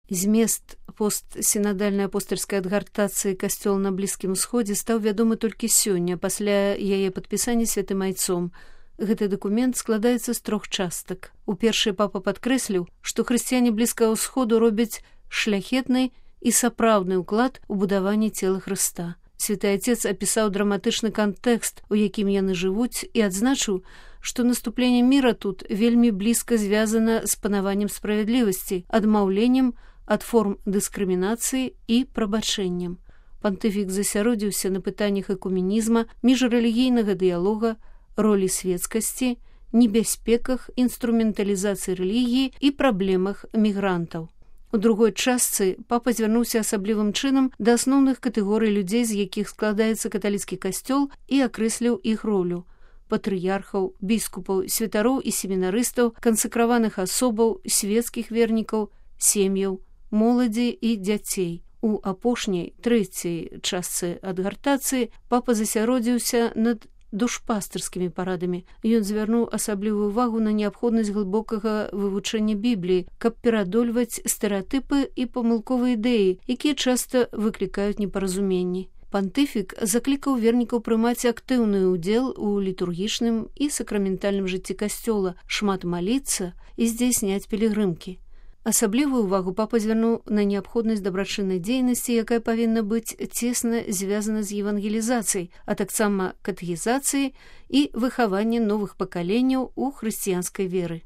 Змест постсінадальнай апостальскай адгартацыі касцёла на Блізкім Усходзе стаў вядомы толькі сёння, пасля яе падпісання святым айцом. Гэты дакумент складаецца з 3 частак. У першай папа падкрэсліў, што хрысціяне Блізкага Ўсходу робяць шляхетны і сапраўдны ўклад у будаванне цела Хрыста. Святы Отец апісаў драматычны кантэкст, у якім яны жывуць, і адзначыў, што наступленне міра тут вельмі блізка звязана з панаваннем справядлівасці, адмаўленнем ад форм дыскрымінацыі і прабачэннем. Пантыфік засяродзіўся на пытаннях экуменізма, міжрэлігійнага дыялога, ролі светскасці, небяспеках інструменталізацыі рэлігіі і праблемах мігрантаў. У другой частцы папа звярнуўся асаблівым чынам да асноўных катэгорый людзей, з якіх складаецца каталіцкі касцёл, і акрэсліў іх ролю – патрыярхаў, біскупаў, святароў і семінарыстаў, кансакраваных асобаў, свецкіх вернікаў, сем'яў, моладзі і дзяцей. У апошняй, 3-й частцы адгартацыі папа засяродзіўся над душпастырскімі парадамі. Ён звярнуў асаблівую увагу на неабходнасць глыбокага вывучэння Бібліі, каб пераадольваць стэрэатыпы і памылковыя ідэі, якія часта выклікаюць непаразуменні. Пантыфік заклікаў вернікаў прымаць актыўны ўдзел у літургічным і сакраментальным жыцці касцёла, шмат маліцца і здзяйсняць пілігрымкі. Асаблівую ўвагу папа звярнуў на неабходнасць дабрачыннай дзейнасці, якая павінна быць цесна звязана з евангелізацыяй, а таксама катэхізацыяй і выхаваннем новых пакаленняў у хрысціянскай веры.